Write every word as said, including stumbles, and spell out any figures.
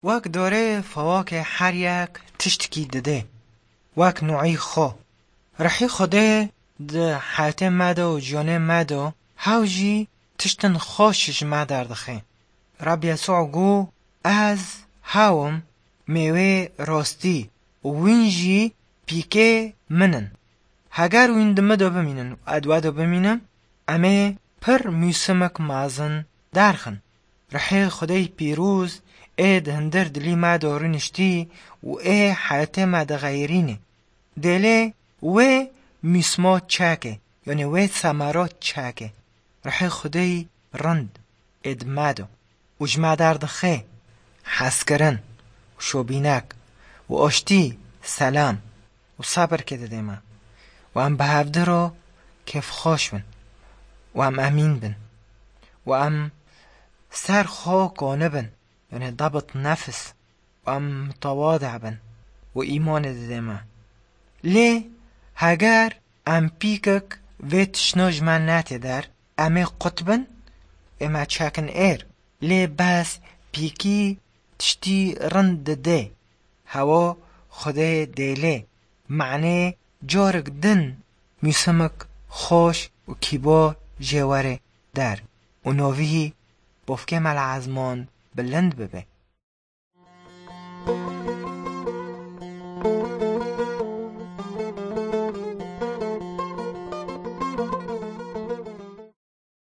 وەک دارێ فواکه هەر یەک تشتکی دده، وەک نوعی خو. ڕحی خودێ د حیاتێ مە de و ژیانێ مە de hew jî tiştên xweş ji me derdixe. Reb Yesû got: Ez hewim mêwê rastî û wîn jî pîkê min in. Heger wîn di min de bimînin û ez di we de bimînim, em ê pir mûsimek mezin derxin. Rihê Xwedê pîroz ê di hundir dilê me de rûniştî û ê heyatê me dixeyirîne. Dêlê wê mûsima çeke, yanî wê semera çeke. Rihê Xwedê rind ê di me de û ji me derdixe hezkirin û şobînek û aştî, selam û sebirkê dide me. û em bi hevdu re kêfxweş bin û em emîn bin û em ser xwe kanibin yanî ضبط نفس û em متواضع bin û îmanê dide me. Lê heger em pîkek vê tiştna ji me nete der, em ê qut bin, ê me çekin êr. Lê bes pîkî tiştî rind dide. Hewa Xwedê dêlê. Manê carek din mûsimek xweş û kîbar jê were der û navî bavkê me li ezman bilind bibe.